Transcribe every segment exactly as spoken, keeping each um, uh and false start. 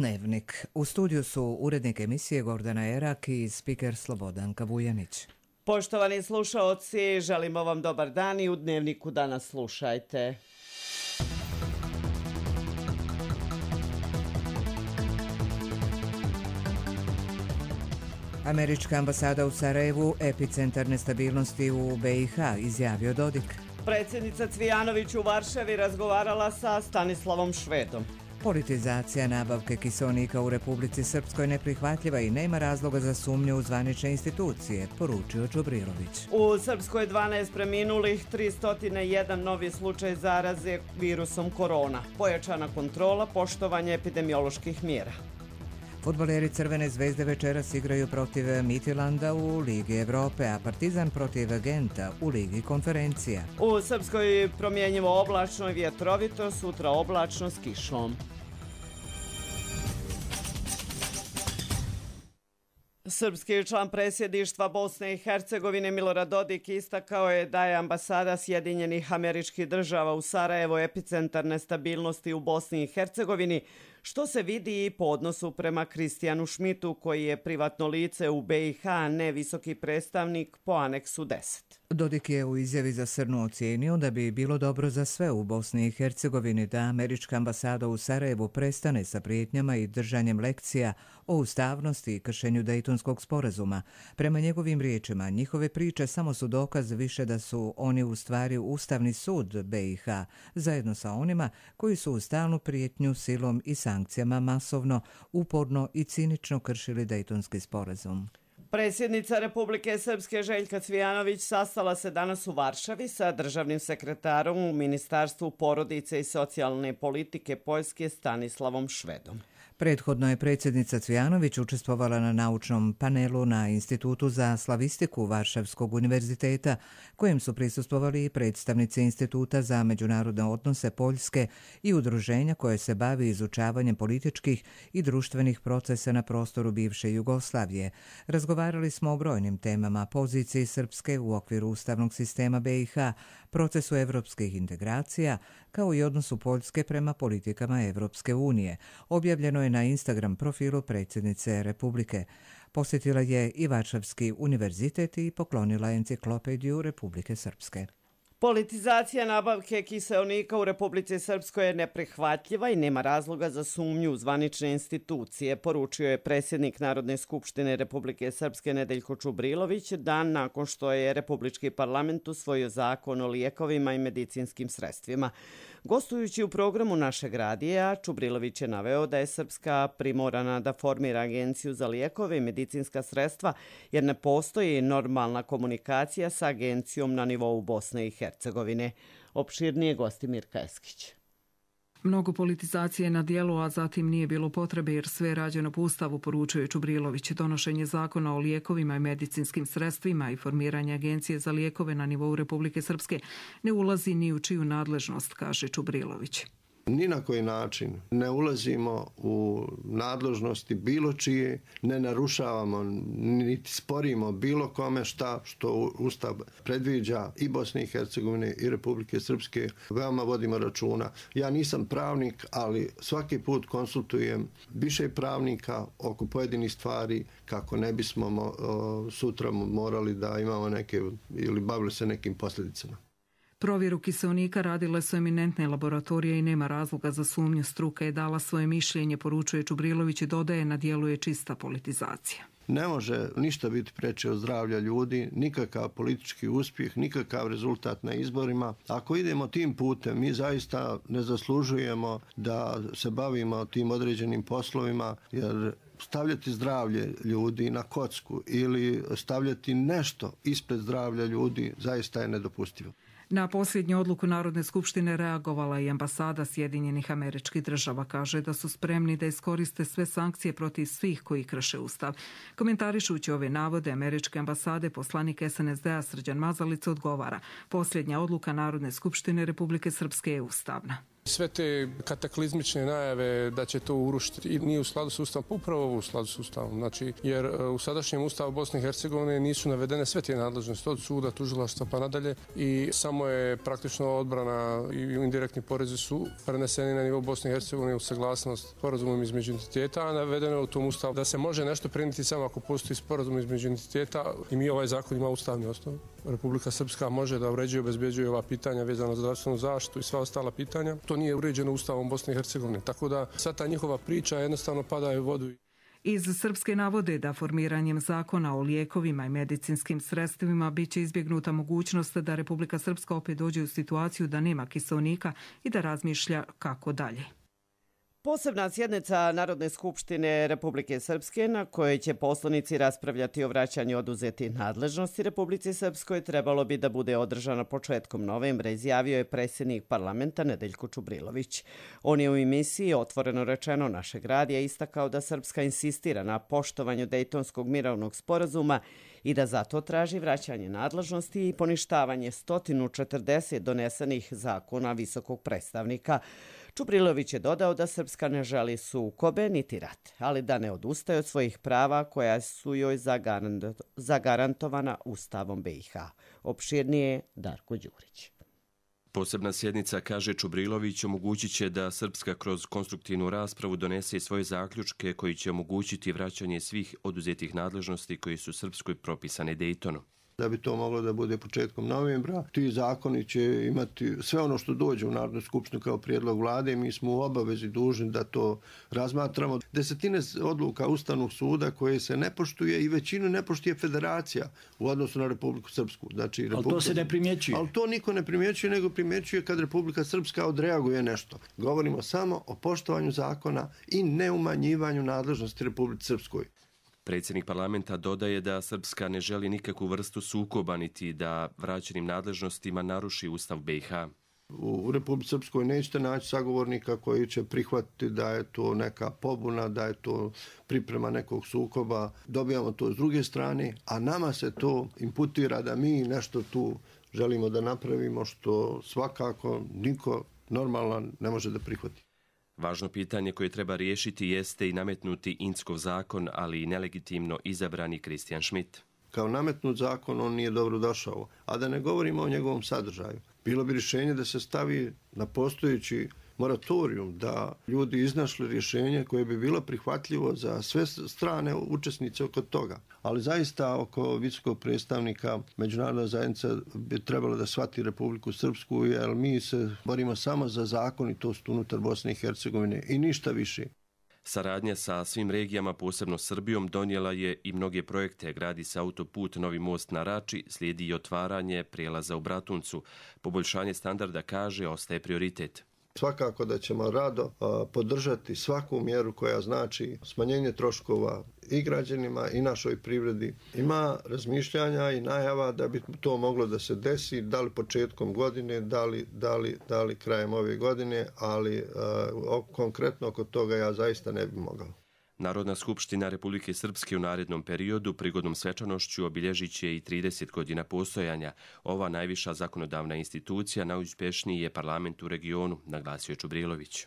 Dnevnik. U studiju su urednik emisije Gordana Erak i spiker Slobodanka Vujanić. Poštovani slušaoci, želimo vam dobar dan i u Dnevniku danas slušajte. Američka ambasada u Sarajevu, epicentar nestabilnosti u B i H, izjavio Dodik. Predsjednica Cvijanović u Varšavi razgovarala sa Stanislavom Švedom. Politizacija nabavke kiseonika u Republici Srpskoj neprihvatljiva i nema razloga za sumnju u zvanične institucije, poručio Čubrilović. U Srpskoj dvanaest preminulih, tristo jedan novi slučaj zaraze virusom korona. Pojačana kontrola, poštovanje epidemioloških mjera. Fudbaleri Crvene zvezde večeras igraju protiv Midtjylanda u Ligi Evrope, a Partizan protiv Genta u Ligi konferencija. U Srpskoj promjenjivo oblačno i vjetrovito, sutra oblačno s kišom. Srpski član predsjedništva Bosne i Hercegovine Milorad Dodik istakao je da je ambasada Sjedinjenih Američkih Država u Sarajevu epicentar nestabilnosti u Bosni i Hercegovini, što se vidi i po odnosu prema Kristijanu Šmitu, koji je privatno lice u B i H, a ne visoki predstavnik po aneksu deset. Dodik je u izjavi za Srnu ocijenio da bi bilo dobro za sve u Bosni i Hercegovini da američka ambasada u Sarajevu prestane sa prijetnjama i držanjem lekcija o ustavnosti i kršenju Dejtonskog sporazuma. Prema njegovim riječima, njihove priče samo su dokaz više da su oni u stvari Ustavni sud B i H, zajedno sa onima koji su u stalnu prijetnju silom i sankcijama masovno, uporno i cinično kršili Dejtonski sporazum. Predsjednica Republike Srpske Željka Cvijanović sastala se danas u Varšavi sa državnim sekretarom u Ministarstvu porodice i socijalne politike Poljske Stanislavom Švedom. Prethodno je predsjednica Cvijanović učestvovala na naučnom panelu na Institutu za slavistiku Varšavskog univerziteta, kojem su prisustvovali i predstavnici Instituta za međunarodne odnose Poljske i udruženja koje se bavi izučavanjem političkih i društvenih procesa na prostoru bivše Jugoslavije. Razgovarali smo o brojnim temama, poziciji Srpske u okviru ustavnog sistema B i H, procesu evropskih integracija, kao i odnosu Poljske prema politikama Evropske unije. Objavljeno je na Instagram profilu predsjednice Republike. Posjetila je i Varšavski univerzitet i poklonila enciklopediju Republike Srpske. Politizacija nabavke kiseonika u Republici Srpskoj je neprihvatljiva i nema razloga za sumnju u zvanične institucije, poručio je predsjednik Narodne skupštine Republike Srpske Nedeljko Čubrilović dan nakon što je Republički parlament usvojio zakon o lijekovima i medicinskim sredstvima. Gostujući u programu našeg radija, Čubrilović je naveo da je Srpska primorana da formira agenciju za lijekove i medicinska sredstva jer ne postoji normalna komunikacija sa agencijom na nivou Bosne i Hercegovine. Opširnije gosti Mirka Eskić. Mnogo politizacije na dijelu, a zatim nije bilo potrebe jer sve je rađeno po Ustavu, poručuje Čubrilović. Donošenje zakona o lijekovima i medicinskim sredstvima i formiranje agencije za lijekove na nivou Republike Srpske ne ulazi ni u čiju nadležnost, kaže Čubrilović. Ni na koji način ne ulazimo u nadležnosti bilo čije, ne narušavamo niti sporimo bilo kome šta što Ustav predviđa i Bosne i Hercegovine i Republike Srpske. Veoma vodimo računa. Ja nisam pravnik, ali svaki put konsultujem više pravnika oko pojedinih stvari kako ne bismo mo, sutra morali da imamo neke ili bavili se nekim posljedicama. Provjeru kiseonika radile su eminentne laboratorije i nema razloga za sumnju. Struka je dala svoje mišljenje, poručuje Čubrilović i dodaje, na dijelu je čista politizacija. Ne može ništa biti preče od zdravlja ljudi, nikakav politički uspjeh, nikakav rezultat na izborima. Ako idemo tim putem, mi zaista ne zaslužujemo da se bavimo tim određenim poslovima, jer stavljati zdravlje ljudi na kocku ili stavljati nešto ispred zdravlja ljudi zaista je nedopustivo. Na posljednju odluku Narodne skupštine reagovala i ambasada Sjedinjenih Američkih Država. Kaže da su spremni da iskoriste sve sankcije protiv svih koji krše Ustav. Komentarišući ove navode Američke ambasade, poslanik S N S D-a Srđan Mazalica odgovara: posljednja odluka Narodne skupštine Republike Srpske je ustavna. Sve te kataklizmične najave da će to urušiti i nije u skladu s Ustavom, pa upravo ovo u skladu s Ustavom. Znači, jer u sadašnjem Ustavu Bosne i Hercegovine nisu navedene sve te nadležnosti od suda, tužilaštva pa nadalje i samo je praktično odbrana i indirektni porezi su preneseni na nivo Bosne i Hercegovine u saglasnost sporazumom između entiteta, a navedeno je u tom Ustavu da se može nešto prenijeti samo ako postoji sporazum između entiteta i mi ovaj zakon ima ustavni osnov. Republika Srpska može da uređuje i obezbeđuje ova pitanja vezano za zdravstvenu zaštitu i sva ostala pitanja. To nije uređeno Ustavom Bosne i Hercegovine, tako da sva ta njihova priča jednostavno pada u vodu. Iz Srpske navode da formiranjem zakona o lijekovima i medicinskim sredstvima biće izbjegnuta mogućnost da Republika Srpska opet dođe u situaciju da nema kiseonika i da razmišlja kako dalje. Posebna sjednica Narodne skupštine Republike Srpske na kojoj će poslanici raspravljati o vraćanju oduzetih nadležnosti Republici Srpskoj trebalo bi da bude održana početkom novembra, izjavio je predsjednik parlamenta Nedeljko Čubrilović. On je u emisiji Otvoreno rečeno našeg radija istakao da Srpska insistira na poštovanju Dejtonskog mirovnog sporazuma i da zato traži vraćanje nadležnosti i poništavanje sto četrdeset donesenih zakona visokog predstavnika. Čubrilović je dodao da Srpska ne želi sukobe niti rat, ali da ne odustaje od svojih prava koja su joj zagarantovana Ustavom B i H. Opširnije Darko Đurić. Posebna sjednica, kaže Čubrilović, omogućit će da Srpska kroz konstruktivnu raspravu donese svoje zaključke koji će omogućiti vraćanje svih oduzetih nadležnosti koji su Srpskoj propisane Dejtonom. Da bi to moglo da bude početkom novembra, ti zakoni će imati sve ono što dođe u Narodnu skupštinu kao prijedlog vlade i mi smo u obavezi dužni da to razmatramo. Desetine odluka Ustavnog suda koje se ne poštuje i većinu ne poštuje federacija u odnosu na Republiku Srpsku. Znači, Republika... Ali to se ne primjećuje. Ali to niko ne primjećuje, nego primjećuje kad Republika Srpska odreaguje nešto. Govorimo samo o poštovanju zakona i neumanjivanju nadležnosti Republike Srpskoj. Predsjednik parlamenta dodaje da Srpska ne želi nikakvu vrstu sukoba niti da vraćenim nadležnostima naruši Ustav B i H. U Republici Srpskoj nećete naći sagovornika koji će prihvatiti da je to neka pobuna, da je to priprema nekog sukoba. Dobijamo to s druge strane, a nama se to imputira da mi nešto tu želimo da napravimo što svakako niko normalan ne može da prihvati. Važno pitanje koje treba riješiti jeste i nametnuti Inckov zakon, ali i nelegitimno izabrani Kristijan Schmidt. Kao nametnut zakon on nije dobro došao, a da ne govorimo o njegovom sadržaju. Bilo bi rješenje da se stavi na postojeći moratorijum, da ljudi iznašli rješenje koje bi bilo prihvatljivo za sve strane učesnice oko toga. Ali zaista oko visokog predstavnika međunarodna zajednica bi trebala da shvati Republiku Srpsku, jer mi se borimo samo za zakonitost unutar Bosne i Hercegovine i ništa više. Saradnja sa svim regijama, posebno Srbijom, donijela je i mnoge projekte. Gradi se autoput Novi most na Rači, slijedi i otvaranje prijelaza u Bratuncu. Poboljšanje standarda, kaže, ostaje prioritet. Svakako da ćemo rado a, podržati svaku mjeru koja znači smanjenje troškova i građanima i našoj privredi. Ima razmišljanja i najava da bi to moglo da se desi, da li početkom godine, da li, da li, da li krajem ove godine, ali a, o, konkretno oko toga ja zaista ne bi mogao. Narodna skupština Republike Srpske u narednom periodu prigodnom svečanošću obilježit će i trideset godina postojanja. Ova najviša zakonodavna institucija najuspješniji je parlament u regionu, naglasio je Čubrilović.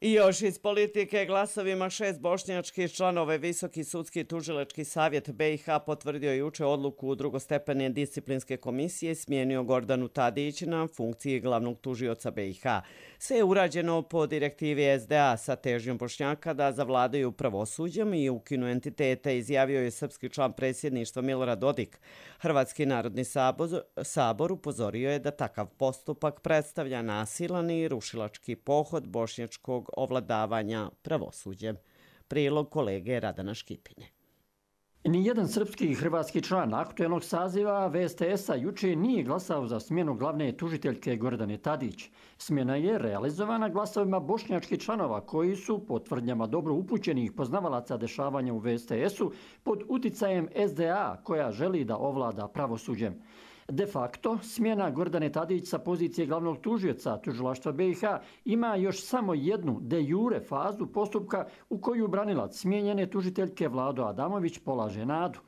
I još iz politike, glasovima šest bošnjačkih članova Visoki sudski tužilački savjet B i H potvrdio juče odluku drugostepene disciplinske komisije i smijenio Gordanu Tadić na funkciji glavnog tužioca B i H. Sve je urađeno po direktivi S D A sa težnjom Bošnjaka da zavladaju pravosuđem i ukinu entitete, izjavio je srpski član predsjedništva Milorad Dodik. Hrvatski narodni sabor, sabor upozorio je da takav postupak predstavlja nasilan i rušilački pohod bošnjačkog ovladavanja pravosuđem. Prilog kolege Radana Škipine. Nijedan srpski i hrvatski član aktuelnog saziva V S T S-a juče nije glasao za smjenu glavne tužiteljke Gordane Tadić. Smjena je realizovana glasovima bošnjačkih članova koji su, po tvrdnjama dobro upućenih poznavalaca dešavanja u V S T S-u, pod uticajem S D A koja želi da ovlada pravosuđem. De facto, smjena Gordane Tadić sa pozicije glavnog tužioca tužilaštva B i H ima još samo jednu de jure fazu postupka u koju branilac smijenjene tužiteljke Vlado Adamović polaže nadu.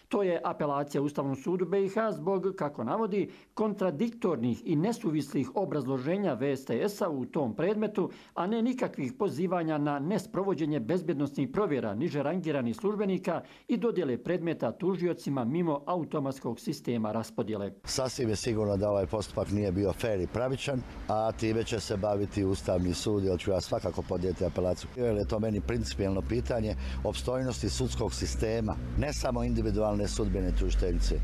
To je apelacija Ustavnom sudu B i H zbog, kako navodi, kontradiktornih i nesuvislih obrazloženja V S T S-a u tom predmetu, a ne nikakvih pozivanja na nesprovođenje bezbjednosnih provjera niže rangiranih službenika i dodjele predmeta tužiocima mimo automatskog sistema raspodjele. Sasvim je sigurno da ovaj postupak nije bio fer i pravičan, a time će se baviti Ustavni sud, jer ću ja svakako podnijeti apelaciju. Jer je to meni principijelno pitanje opstojnosti sudskog sistema, ne samo individualne sudbene tužiteljice.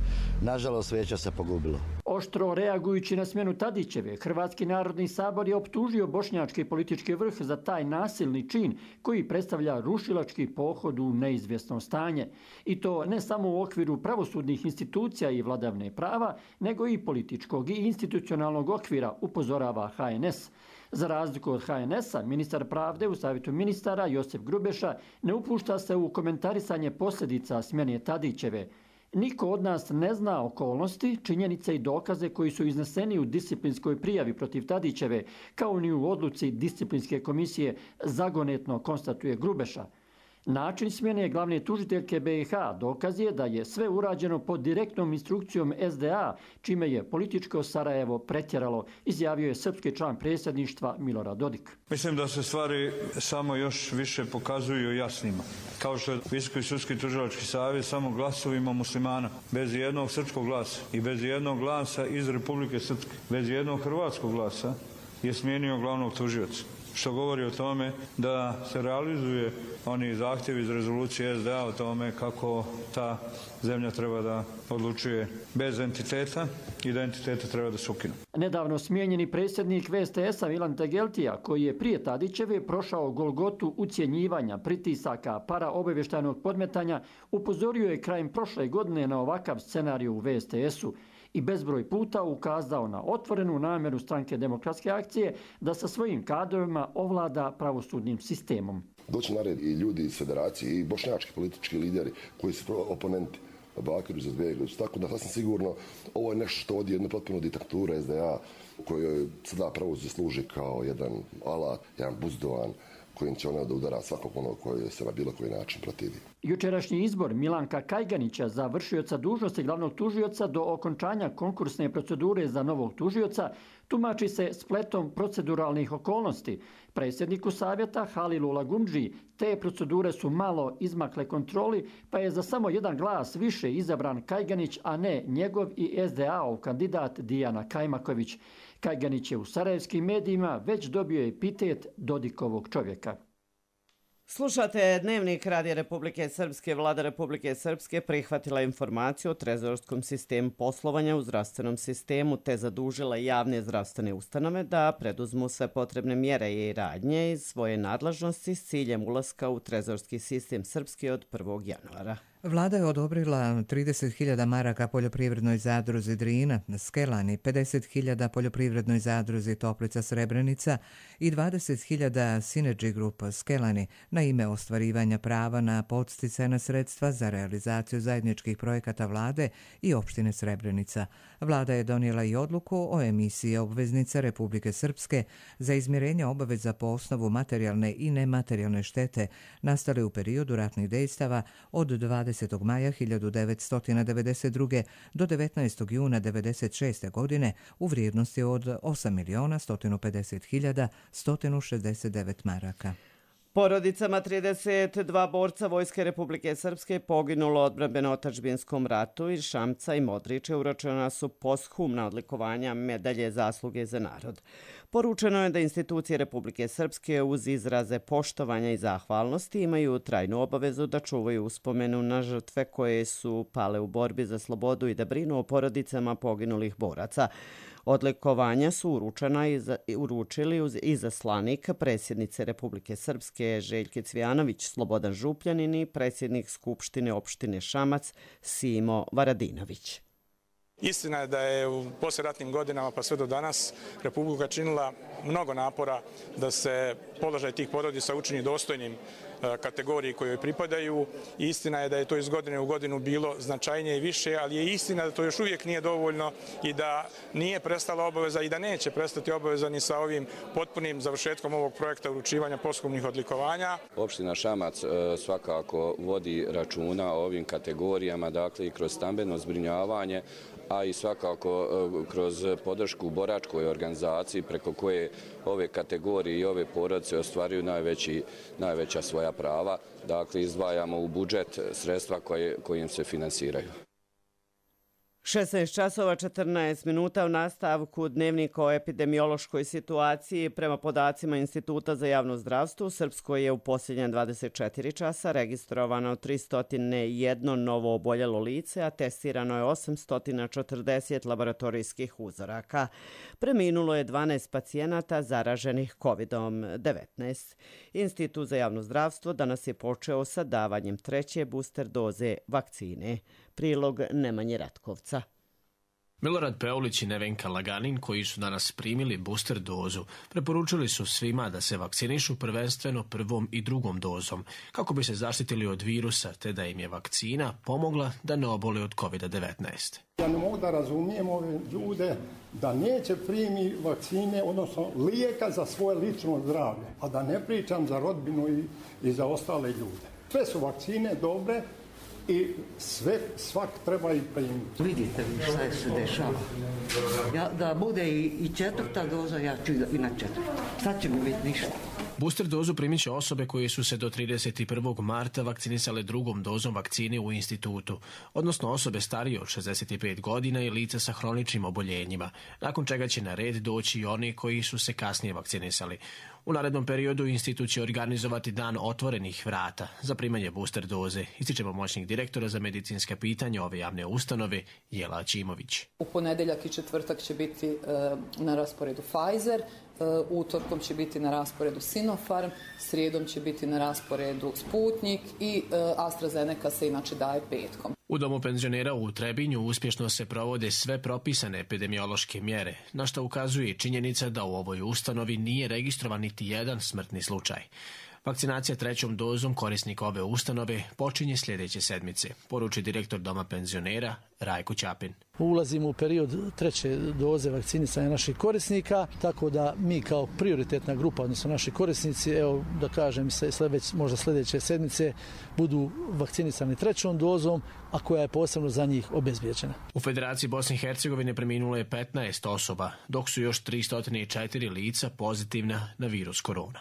Nažalost, vijeće se pogubilo. Oštro reagujući na smjenu Tadićeve, Hrvatski narodni sabor je optužio bošnjački politički vrh za taj nasilni čin koji predstavlja rušilački pohod u neizvjesno stanje. I to ne samo u okviru pravosudnih institucija i vladavne prava, nego i političkog i institucionalnog okvira, upozorava H N S. Za razliku od H N S-a, ministar pravde u savjetu ministara Josip Grubeša ne upušta se u komentarisanje posljedica smjene Tadićeve. Niko od nas ne zna okolnosti, činjenice i dokaze koji su izneseni u disciplinskoj prijavi protiv Tadićeve, kao ni u odluci disciplinske komisije, zagonetno konstatuje Grubeša. Način smjene glavne tužiteljke B i H dokaz je da je sve urađeno pod direktnom instrukcijom S D A, čime je političko Sarajevo pretjeralo, izjavio je srpski član predsjedništva Milorad Dodik. Mislim da se stvari samo još više pokazuju jasnima. Kao što je Visoki sudski tužilački savjet samo glasovima muslimana, bez jednog srpskog glasa i bez jednog glasa iz Republike Srpske, bez jednog hrvatskog glasa je smijenio glavnog tužioca. Što govori o tome da se realizuje oni zahtjevi iz rezolucije S D A o tome kako ta zemlja treba da odlučuje bez entiteta i da entitete treba da se ukinu. Nedavno smijenjeni predsjednik V S T S-a Milan Tegeltija, koji je prije Tadićeve prošao golgotu ucjenjivanja, pritisaka, paraobavještajnog podmetanja, upozorio je krajem prošle godine na ovakav scenarij u V S T S-u i bezbroj puta ukazao na otvorenu namjeru Stranke demokratske akcije da sa svojim kadrovima ovlada pravosudnim sistemom. Doći na red i ljudi iz federacije i bošnjački politički lideri koji su oponenti Bakiru za Zbegović. Tako da sasvim sigurno ovo je nešto što ovdje jedna potpuno diktatura S D A kojoj sada pravosuđe služi kao jedan alat, jedan buzdovan kojim će ona da udara svakog onog koji se na bilo koji način protivi. Jučerašnji izbor Milanka Kajganića za vršioca dužnosti glavnog tužioca do okončanja konkursne procedure za novog tužioca tumači se spletom proceduralnih okolnosti. Predsjedniku savjeta Halilu Lagundži te procedure su malo izmakle kontroli, pa je za samo jedan glas više izabran Kajganić, a ne njegov i S D A-ov kandidat Dijana Kajmaković. Kajganić je u sarajevskim medijima već dobio epitet Dodikovog čovjeka. Slušate Dnevnik Radija Republike Srpske. Vlada Republike Srpske prihvatila informaciju o trezorskom sistemu poslovanja u zdravstvenom sistemu te zadužila javne zdravstvene ustanove da preduzmu sve potrebne mjere i radnje iz svoje nadležnosti s ciljem ulaska u trezorski sistem Srpske od prvog januara. Vlada je odobrila trideset hiljada maraka poljoprivrednoj zadruzi Drina, Skelani, pedeset hiljada poljoprivrednoj zadruzi Toplica Srebrenica i dvadeset hiljada Synergy Group Skelani na ime ostvarivanja prava na podsticajna sredstva za realizaciju zajedničkih projekata vlade i opštine Srebrenica. Vlada je donijela i odluku o emisiji obveznica Republike Srpske za izmirenje obaveza po osnovu materijalne i nematerijalne štete nastale u periodu ratnih dejstava od dvadesetog maja hiljadu devetsto devedeset druge do devetnaestog juna devedeset šeste godine u vrijednosti od osam miliona sto pedeset hiljada sto šezdeset devet maraka. Porodicama trideset dva borca Vojske Republike Srpske poginulo u odbrambeno-otadžbinskom ratu iz Šamca i Modriče uručena su posthumna odlikovanja medalje zasluge za narod. Poručeno je da institucije Republike Srpske uz izraze poštovanja i zahvalnosti imaju trajnu obavezu da čuvaju uspomenu na žrtve koje su pale u borbi za slobodu i da brinu o porodicama poginulih boraca. Odlikovanja su uručena i za, uručili uz izaslanik predsjednice Republike Srpske Željke Cvijanović, Slobodan Župljanin i predsjednik Skupštine opštine Šamac Simo Varadinović. Istina je da je u poslijeratnim godinama pa sve do danas Republika činila mnogo napora da se položaj tih porodica učini dostojnim kategoriji kojoj pripadaju. Istina je da je to iz godine u godinu bilo značajnije i više, ali je istina da to još uvijek nije dovoljno i da nije prestala obaveza i da neće prestati obaveza ni sa ovim potpunim završetkom ovog projekta uručivanja posthumnih odlikovanja. Opština Šamac svakako vodi računa o ovim kategorijama, dakle i kroz stambeno zbrinjavanje, a i svakako kroz podršku boračkoj organizaciji preko koje ove kategorije i ove porodice ostvaruju najveći, najveća svoja prava. Dakle, izdvajamo u budžet sredstva koje, kojim se finansiraju. šesnaest časova četrnaest minuta u nastavku dnevnika o epidemiološkoj situaciji. Prema podacima Instituta za javno zdravstvo, u Srpskoj je u posljednja dvadeset četiri časa registrovano tristo jedan novo oboljelo lice, a testirano je osamsto četrdeset laboratorijskih uzoraka. Preminulo je dvanaest pacijenata zaraženih kovidom devetnaest. Institut za javno zdravstvo danas je počeo sa davanjem treće booster doze vakcine. Prilog Nemanje Ratkovca. Milorad Peulić i Nevenka Laganin, koji su danas primili booster dozu, preporučili su svima da se vakcinišu prvenstveno prvom i drugom dozom, kako bi se zaštitili od virusa, te da im je vakcina pomogla da ne obole od kovid devetnaest. Ja ne mogu da razumijem ove ljude da neće primi vakcine, odnosno lijeka za svoje lično zdravlje, a da ne pričam za rodbinu i, i za ostale ljude. Sve su vakcine dobre, i sve, svak treba i primiti. Vidite vi šta se dešava. Ja, da bude i, i četvrta doza, ja ću i na četvrta. Sad će mi biti ništa. Booster dozu primit će osobe koje su se do trideset prvog marta vakcinisale drugom dozom vakcine u institutu, odnosno osobe starije od šezdeset pet godina i lica sa hroničnim oboljenjima, nakon čega će na red doći i oni koji su se kasnije vakcinisali. U narednom periodu institut će organizovati dan otvorenih vrata za primanje booster doze, ističe pomoćnik direktora za medicinska pitanja ove javne ustanove Jela Aćimović. U ponedeljak i četvrtak će biti e, na rasporedu Pfizer, e, utorkom će biti na rasporedu Sinopharm, srijedom će biti na rasporedu Sputnik i e, AstraZeneca se inače daje petkom. U domu penzionera u Trebinju uspješno se provode sve propisane epidemiološke mjere, na što ukazuje činjenica da u ovoj ustanovi nije registrovan niti jedan smrtni slučaj. Vakcinacija trećom dozom korisnika ove ustanove počinje sljedeće sedmice, poruči direktor doma penzionera Rajko Ćapin. Ulazimo u period treće doze vakcinisanja naših korisnika, tako da mi kao prioritetna grupa, odnosno naši korisnici, evo da kažem se sljedeć, možda sljedeće sedmice budu vakcinisani trećom dozom, a koja je posebno za njih obezbijeđena. U Federaciji Bosne i Hercegovine preminulo je petnaest osoba, dok su još tristo četiri lica pozitivna na virus korona.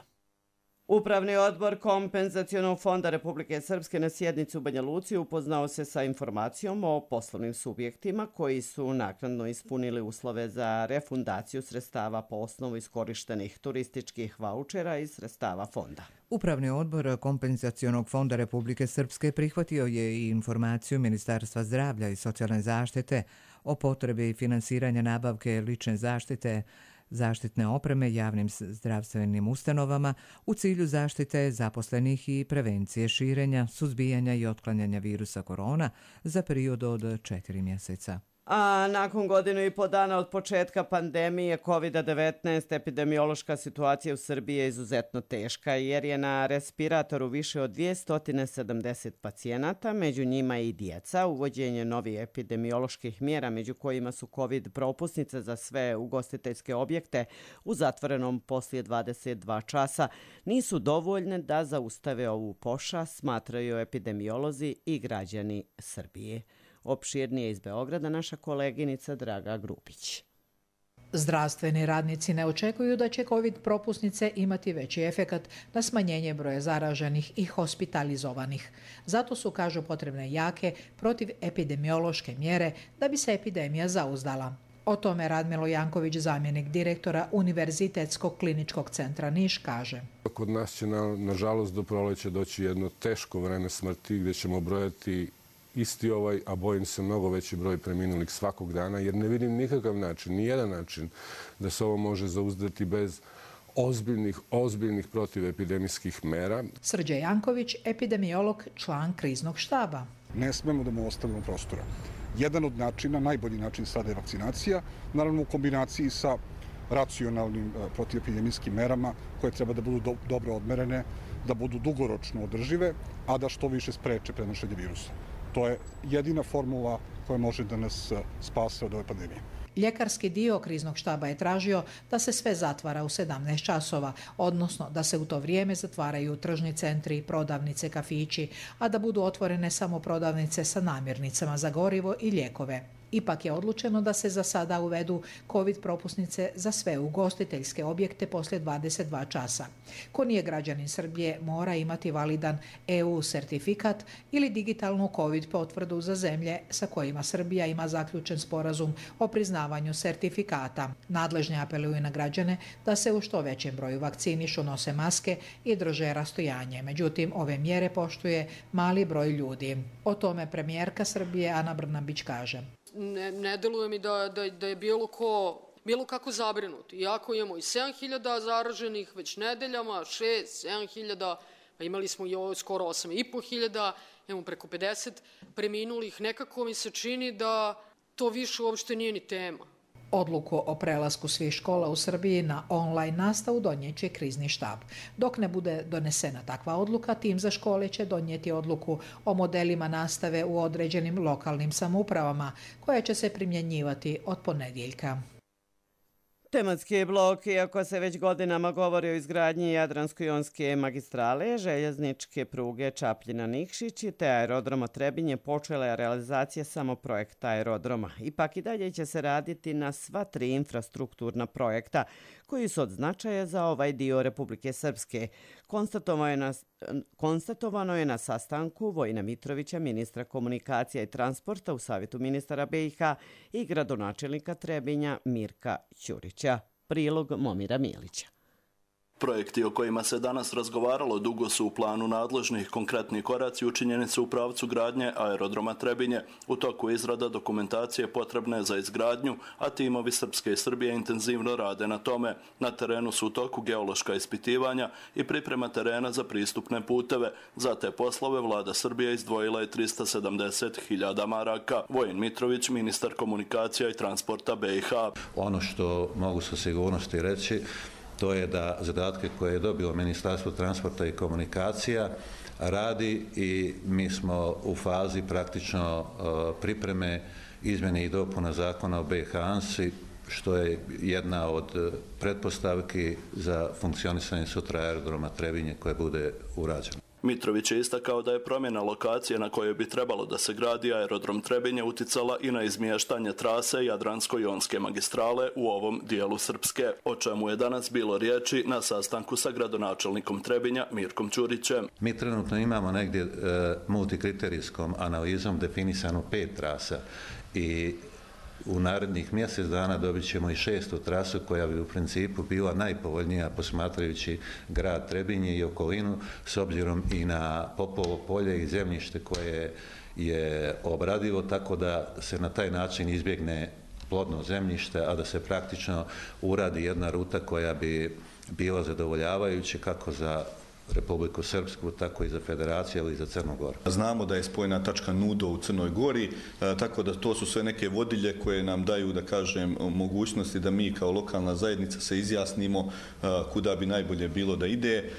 Upravni odbor Kompenzacionog fonda Republike Srpske na sjednici u Banja Luci upoznao se sa informacijom o poslovnim subjektima koji su naknadno ispunili uslove za refundaciju sredstava po osnovu iskorištenih turističkih vaučera iz sredstava fonda. Upravni odbor Kompenzacionog fonda Republike Srpske prihvatio je i informaciju Ministarstva zdravlja i socijalne zaštite o potrebi finansiranja nabavke lične zaštite, zaštitne opreme javnim zdravstvenim ustanovama u cilju zaštite zaposlenih i prevencije širenja, suzbijanja i otklanjanja virusa korona za period od četiri mjeseca. A nakon godinu i po dana od početka pandemije kovid devetnaest, epidemiološka situacija u Srbiji je izuzetno teška jer je na respiratoru više od dvjesto sedamdeset pacijenata, među njima i djeca. Uvođenje novih epidemioloških mjera, među kojima su covid propusnice za sve ugostiteljske objekte u zatvorenom poslije dvadeset dva časa, nisu dovoljne da zaustave ovu pošast, smatraju epidemiolozi i građani Srbije. Opširnije iz Beograda naša koleginica Draga Grupić. Zdravstveni radnici ne očekuju da će covid propusnice imati veći efekat na smanjenje broja zaraženih i hospitalizovanih. Zato su, kažu, potrebne jake protivepidemiološke mjere da bi se epidemija zauzdala. O tome Radmilo Janković, zamjenik direktora Univerzitetskog kliničkog centra Niš, kaže. Kod nas će, na, nažalost, do proleća doći jedno teško vreme smrti gdje ćemo brojati isti ovaj, a bojim se mnogo veći broj preminulih svakog dana, jer ne vidim nikakav način, ni jedan način da se ovo može zauzdati bez ozbiljnih, ozbiljnih protivepidemijskih mera. Srđe Janković, epidemiolog, član kriznog štaba. Ne smemo da mu ostavimo prostora. Jedan od načina, najbolji način sada je vakcinacija, naravno u kombinaciji sa racionalnim protivepidemijskim merama koje treba da budu do, dobro odmerene, da budu dugoročno održive, a da što više spreče prenošenje virusa. To je jedina formula koja može da nas spase od ove pandemije. Ljekarski dio kriznog štaba je tražio da se sve zatvara u sedamnaest časova, odnosno da se u to vrijeme zatvaraju tržni centri, prodavnice, kafići, a da budu otvorene samo prodavnice sa namirnicama za gorivo i lijekove. Ipak je odlučeno da se za sada uvedu COVID propusnice za sve ugostiteljske objekte poslije dvadeset dva časa. Ko nije građanin Srbije mora imati validan E U sertifikat ili digitalnu COVID potvrdu za zemlje sa kojima Srbija ima zaključen sporazum o priznavanju sertifikata. Nadležni apeluju na građane da se u što većem broju vakcinišu, nose maske i drže rastojanje. Međutim, ove mjere poštuje mali broj ljudi. O tome premijerka Srbije Ana Brnabić kaže. Ne, ne deluje mi da, da, da je bilo ko, bilo kako zabrinut. Iako imamo i sedam hiljada zaraženih već nedeljama, šest, sedam hiljada, pa imali smo i ovo skoro osam i po hiljada, imamo preko pedeset preminulih, nekako mi se čini da to više uopšte nije ni tema. Odluku o prelasku svih škola u Srbiji na online nastavu donijeće krizni štab. Dok ne bude donesena takva odluka, tim za škole će donijeti odluku o modelima nastave u određenim lokalnim samoupravama, koja će se primjenjivati od ponedjeljka. Tematski blok, iako se već godinama govori o izgradnji Jadransko-jonske magistrale, željezničke pruge Čapljina-Nikšić te aerodroma Trebinje, počela je realizacija samo projekta aerodroma. Ipak i dalje će se raditi na sva tri infrastrukturna projekta koji su od značaja za ovaj dio Republike Srpske. Konstatovano je na, konstatovano je na sastanku Vojina Mitrovića, ministra komunikacija i transporta u Savjetu ministara B i H i gradonačelnika Trebinja Mirka Ćurića. Prilog Momira Milića. Projekti o kojima se danas razgovaralo dugo su u planu nadležnih. Konkretni koraci učinjeni su u pravcu gradnje aerodroma Trebinje. U toku izrada dokumentacije potrebne za izgradnju, a timovi Srpske i Srbije intenzivno rade na tome. Na terenu su u toku geološka ispitivanja i priprema terena za pristupne puteve. Za te poslove vlada Srbije izdvojila je trista sedamdeset hiljada maraka. Vojin Mitrović, ministar komunikacija i transporta B i H. Ono što mogu sa sigurnosti reći, to je da zadatke koje je dobilo Ministarstvo transporta i komunikacija radi i mi smo u fazi praktično pripreme izmjene i dopuna zakona o B i H ANSI, što je jedna od pretpostavki za funkcionisanje sutra aerodroma Trebinje koje bude urađeno. Mitrović je istakao da je promjena lokacije na kojoj bi trebalo da se gradi aerodrom Trebinje uticala i na izmještanje trase Jadransko-jonske magistrale u ovom dijelu Srpske, o čemu je danas bilo riječi na sastanku sa gradonačelnikom Trebinja Mirkom Ćurićem. Mi trenutno imamo negdje e, multikriterijskom analizom definisano pet trasa i u narednih mjesec dana dobit ćemo i šestu trasu koja bi u principu bila najpovoljnija posmatrajući grad Trebinje i okolinu s obzirom i na Popovo polje i zemljište koje je obradivo, tako da se na taj način izbjegne plodno zemljište, a da se praktično uradi jedna ruta koja bi bila zadovoljavajuća kako za Republiku Srpsku, tako i za Federaciju, ali i za Crnu Goru. Znamo da je spojna tačka Nudo u Crnoj Gori, tako da to su sve neke vodilje koje nam daju, da kažem, mogućnosti da mi kao lokalna zajednica se izjasnimo kuda bi najbolje bilo da ide,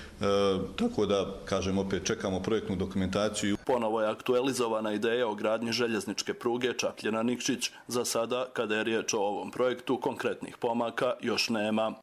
tako da, kažem, opet čekamo projektnu dokumentaciju. Ponovo je aktualizovana ideja o gradnji željezničke pruge Čapljina-Nikšić. Za sada, kada je riječ o ovom projektu, konkretnih pomaka još nema.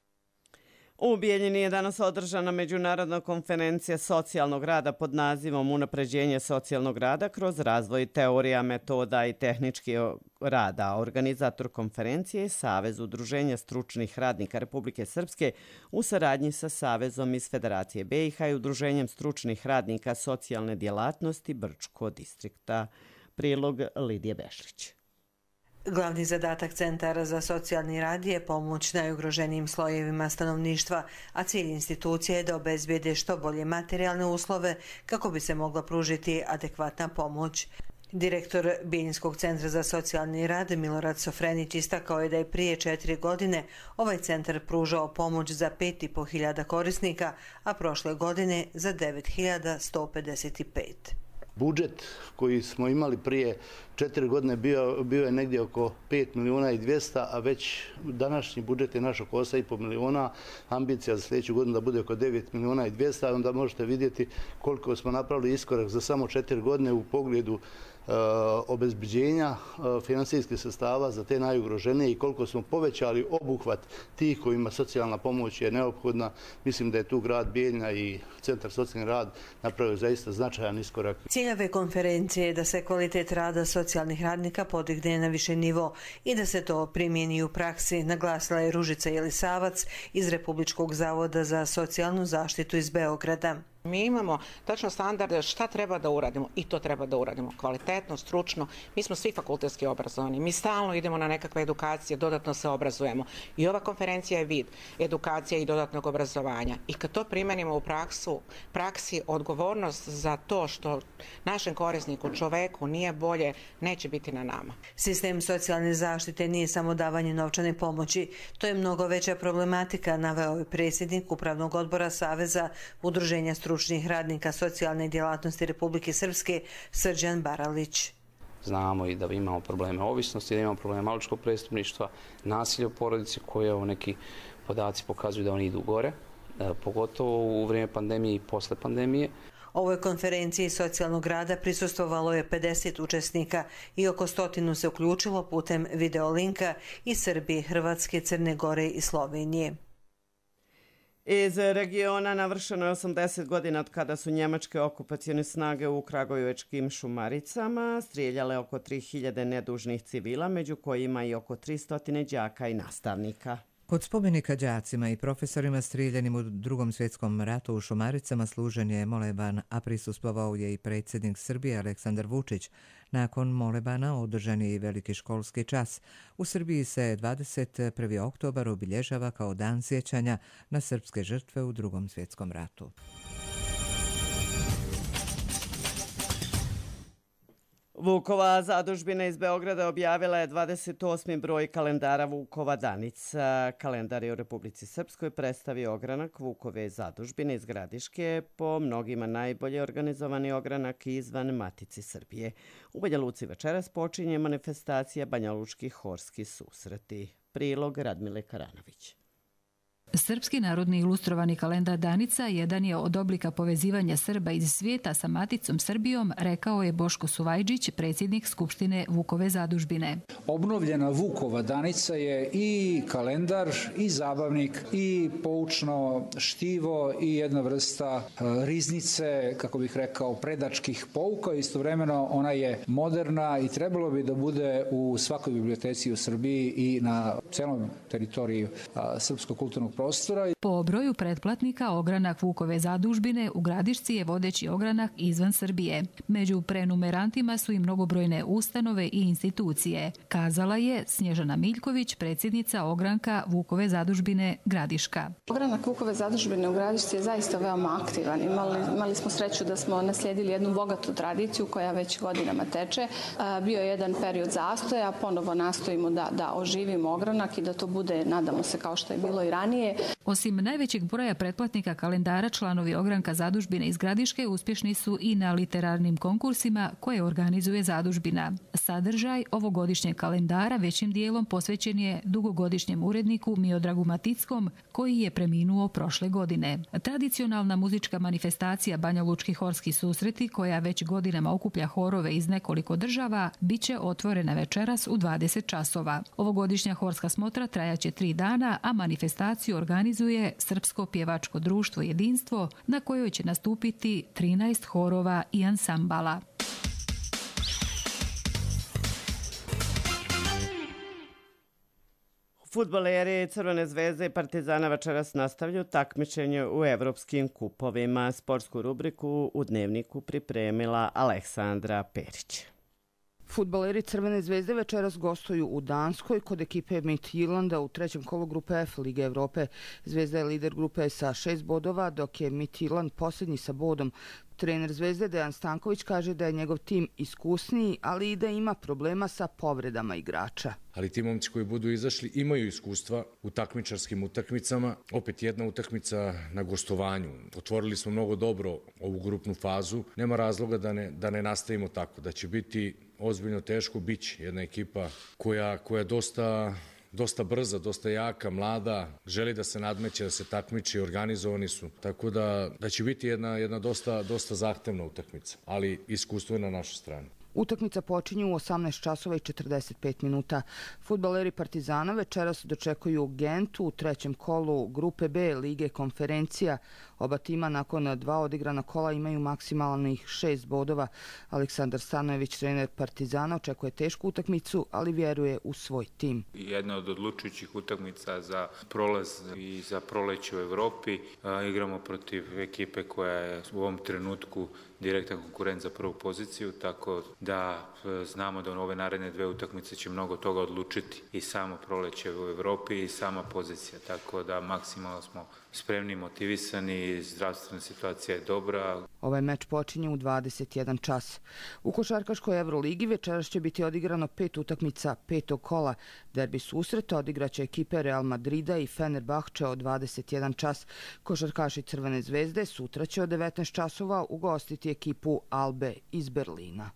U Bijeljini je danas održana međunarodna konferencija socijalnog rada pod nazivom Unapređenje socijalnog rada kroz razvoj teorija, metoda i tehnički rada. Organizator konferencije je Savez udruženja stručnih radnika Republike Srpske u saradnji sa Savezom iz Federacije B i H i Udruženjem stručnih radnika socijalne djelatnosti Brčko distrikta. Prilog Lidije Bešlić. Glavni zadatak Centara za socijalni rad je pomoć najugroženijim slojevima stanovništva, a cilj institucije je da obezbijede što bolje materijalne uslove kako bi se mogla pružiti adekvatna pomoć. Direktor Bijeljinskog centra za socijalni rad Milorad Sofrenić istakao je da je prije četiri godine ovaj centar pružao pomoć za pet i po hiljada korisnika, a prošle godine za devet hiljada sto pedeset pet. budžet koji smo imali prije četiri godine bio, bio je negdje oko pet milijuna i dvjesto, a već današnji budžet je naš oko osam i pol milijuna, ambicija za sljedeću godinu da bude oko devet milijuna i dvjesto, onda možete vidjeti koliko smo napravili iskorak za samo četiri godine u pogledu Uh, obezbeđenja uh, financijskih sredstava za te najugroženije i koliko smo povećali obuhvat tih kojima socijalna pomoć je neophodna. Mislim da je tu grad Bijeljina i Centar socijalni rad napravio zaista značajan iskorak. Cilj ove konferencije je da se kvalitet rada socijalnih radnika podigne na više nivo i da se to primijeni u praksi, naglasila je Ružica Jelisavac iz Republičkog zavoda za socijalnu zaštitu iz Beograda. Mi imamo tačno standarde šta treba da uradimo i to treba da uradimo kvalitetno, stručno. Mi smo svi fakultetski obrazovani, mi stalno idemo na nekakve edukacije, dodatno se obrazujemo. I ova konferencija je vid edukacije i dodatnog obrazovanja. I kad to primenimo u praksu, praksi, odgovornost za to što našem korisniku, čoveku nije bolje, neće biti na nama. Sistem socijalne zaštite nije samo davanje novčane pomoći. To je mnogo veća problematika, naveo je predsjednik Upravnog odbora Saveza Udruženja stručnih radnika socijalne djelatnosti Republike Srpske Srđan Baralić. Znamo i da imamo probleme ovisnosti, da imamo probleme maloljetničkog prestupništva, nasilja u porodici koje neki podaci pokazuju da oni idu gore, pogotovo u vrijeme pandemije i posle pandemije. Ovoj konferenciji socijalnog rada prisustvovalo je pedeset učesnika i oko stotinu se uključilo putem videolinka iz Srbije, Hrvatske, Crne Gore i Slovenije. Iz regiona navršeno je osamdeset godina od kada su njemačke okupacione snage u kragujevačkim Šumaricama strijeljale oko tri hiljade nedužnih civila, među kojima i oko tristo đaka i nastavnika. Kod spomenika đacima i profesorima strijeljanim u Drugom svjetskom ratu u Šumaricama služen je moleban, a prisustvovao je i predsjednik Srbije Aleksandar Vučić. Nakon molebana održan je i veliki školski čas. U Srbiji se dvadeset prvi oktobar obilježava kao dan sjećanja na srpske žrtve u Drugom svjetskom ratu. Vukova zadužbina iz Beograda objavila je dvadeset osmi broj kalendara Vukova Danica. Kalendar je u Republici Srpskoj predstavio ogranak Vukove zadužbine iz Gradiške, po mnogima najbolje organizovani ogranak izvan Matici Srbije. U Banja Luci večeras počinje manifestacija Banjalučki horski susreti. Prilog Radmile Karanović. Srpski narodni ilustrovani kalendar Danica jedan je od oblika povezivanja Srba iz svijeta sa maticom Srbijom, rekao je Boško Suvajđić, predsjednik Skupštine Vukove zadužbine. Obnovljena Vukova Danica je i kalendar, i zabavnik, i poučno štivo, i jedna vrsta riznice, kako bih rekao, predačkih pouka. Istovremeno ona je moderna i trebalo bi da bude u svakoj biblioteci u Srbiji i na celom teritoriju srpskog kulturnog prostora. Po broju pretplatnika ogranak Vukove zadužbine u Gradišci je vodeći ogranak izvan Srbije. Među prenumerantima su i mnogobrojne ustanove i institucije, kazala je Snježana Miljković, predsjednica ogranka Vukove zadužbine Gradiška. Ogranak Vukove zadužbine u Gradišci je zaista veoma aktivan. Imali, imali smo sreću da smo naslijedili jednu bogatu tradiciju koja već godinama teče. Bio je jedan period zastoja, ponovo nastojimo da, da oživimo ogranak i da to bude, nadamo se, kao što je bilo i ranije. Osim najvećeg broja pretplatnika kalendara, članovi ogranka zadužbine iz Gradiške uspješni su i na literarnim konkursima koje organizuje zadužbina. Sadržaj ovogodišnjeg kalendara većim dijelom posvećen je dugogodišnjem uredniku Miodragu Matickom, koji je preminuo prošle godine. Tradicionalna muzička manifestacija Banjalučki horski susreti, koja već godinama okuplja horove iz nekoliko država, bit će otvorena večeras u dvadeset časova. Ovogodišnja horska smotra trajaće tri dana, a manifestaciju organizuje Srpsko pjevačko društvo Jedinstvo, na kojoj će nastupiti trinaest horova i ansambala. Fudbaleri Crvene zvezde i Partizana večeras nastavljaju takmičenje u evropskim kupovima. Sportsku rubriku u Dnevniku pripremila Aleksandra Perić. Fudbaleri Crvene zvezde večeras gostuju u Danskoj kod ekipe Midtjylanda u trećem kolu grupe F Lige Evrope. Zvezda je lider grupe sa šest bodova, dok je Midtjylland posljednji sa bodom. Trener Zvezde Dejan Stanković kaže da je njegov tim iskusniji, ali i da ima problema sa povredama igrača. Ali ti momci koji budu izašli imaju iskustva u takmičarskim utakmicama. Opet jedna utakmica na gostovanju. Otvorili smo mnogo dobro ovu grupnu fazu. Nema razloga da ne, da ne nastavimo tako. Da će biti ozbiljno teško, biće jedna ekipa koja, koja dosta... dosta brza, dosta jaka, mlada, želi da se nadmeće, da se takmiči, organizovani su. Tako da, da će biti jedna, jedna dosta, dosta zahtevna utakmica, ali iskustvo je na našoj strani. Utakmica počinje u osamnaest časova i četrdeset pet minuta. Fudbaleri Partizana večeras dočekuju Gentu u trećem kolu grupe B Lige konferencija. Oba tima nakon dva odigrana kola imaju maksimalnih šest bodova. Aleksandar Stanojević, trener Partizana, očekuje tešku utakmicu, ali vjeruje u svoj tim. Jedna od odlučujućih utakmica za prolaz i za proleće u Evropi. Igramo protiv ekipe koja je u ovom trenutku direktan konkurent za prvu poziciju, tako da znamo da u ove naredne dve utakmice će mnogo toga odlučiti i samo proleće u Evropi i sama pozicija, tako da maksimalno smo spremni, motivisani, zdravstvena situacija je dobra. Ovaj meč počinje u dvadeset jedan čas. U košarkaškoj Evroligi večeras će biti odigrano pet utakmica petog kola. Derbi susreta odigraće ekipe Real Madrida i Fenerbahče od dvadeset jedan čas. Košarkaši Crvene zvezde sutra će od devetnaest časova ugostiti ekipu Albe iz Berlina.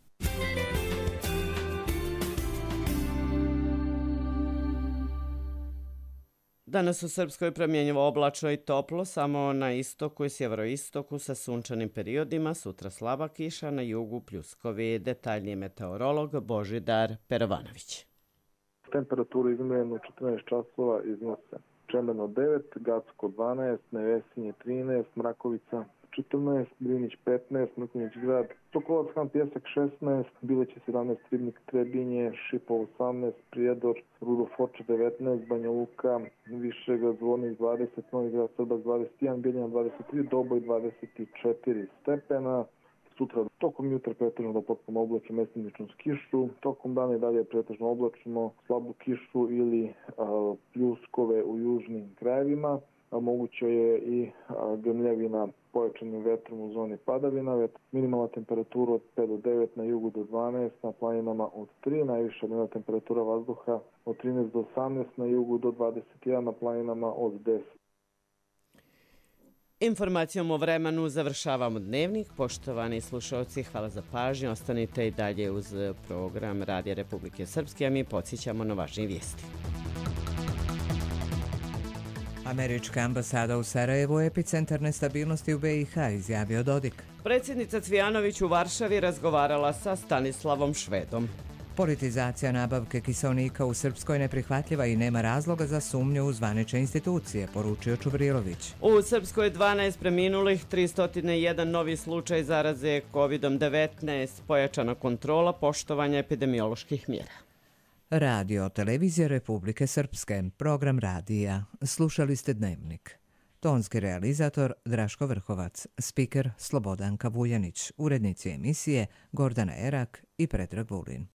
Danas u Srpskoj promjenjivo oblačno i toplo, samo na istoku i sjeveroistoku sa sunčanim periodima, sutra slaba kiša, na jugu pljuskovi. Detaljniji meteorolog Božidar Perovanović. Temperaturu izmjerenu četrnaest časova iznose Čemberno devet, Gacko dvanaest, Nevesinje trinaest, Mrakovica četrnaest, Drinić petnaest, Mrkonjić grad, Sokolac Han Pjesak šesnaest, Bileće sedamnaest, Ribnik Trebinje, Šipo osamnaest, Prijedor, Rudo Foča devetnaest, Banja Luka, Višega Zvornik dvadeset, Novi Grad Srbac dvadeset jedan, Bijeljina dvadeset tri, Doboj dvadeset četiri stepena. Sutra tokom jutra pretežno do potpuno oblačno mestimično s kišu, tokom dana i dalje pretežno oblačno, slabu kišu ili a, pljuskove u južnim krajevima. A, moguće je i a, grmljevina pojačanim vetrom u zoni padavina. Minimalna temperatura od pet do devet, na jugu do dvanaest, na planinama od tri, najviša dnevna temperatura vazduha od trinaest do osamnaest, na jugu do dvadeset jedan, na planinama od deset. Informacijom o vremenu završavamo dnevnik. Poštovani slušalci, hvala za pažnju. Ostanite i dalje uz program Radija Republike Srpske, a mi podsjećamo na važnije vijesti. Američka ambasada u Sarajevu je epicentar nestabilnosti u B i H, izjavio Dodik. Predsjednica Cvijanović u Varšavi razgovarala sa Stanislavom Švedom. Politizacija nabavke kiseonika u Srpskoj neprihvatljiva i nema razloga za sumnju u zvanične institucije, poručio Čubrilović. U Srpskoj dvanaest preminulih, tristo jedan novi slučaj zaraze kovidom devetnaest, pojačana kontrola poštovanja epidemioloških mjera. Radio Televizija Republike Srpske, program radija. Slušali ste Dnevnik. Tonski realizator Draško Vrhovac, spiker Slobodanka Vujanić, urednici emisije Gordana Erak i Predrag Vulin.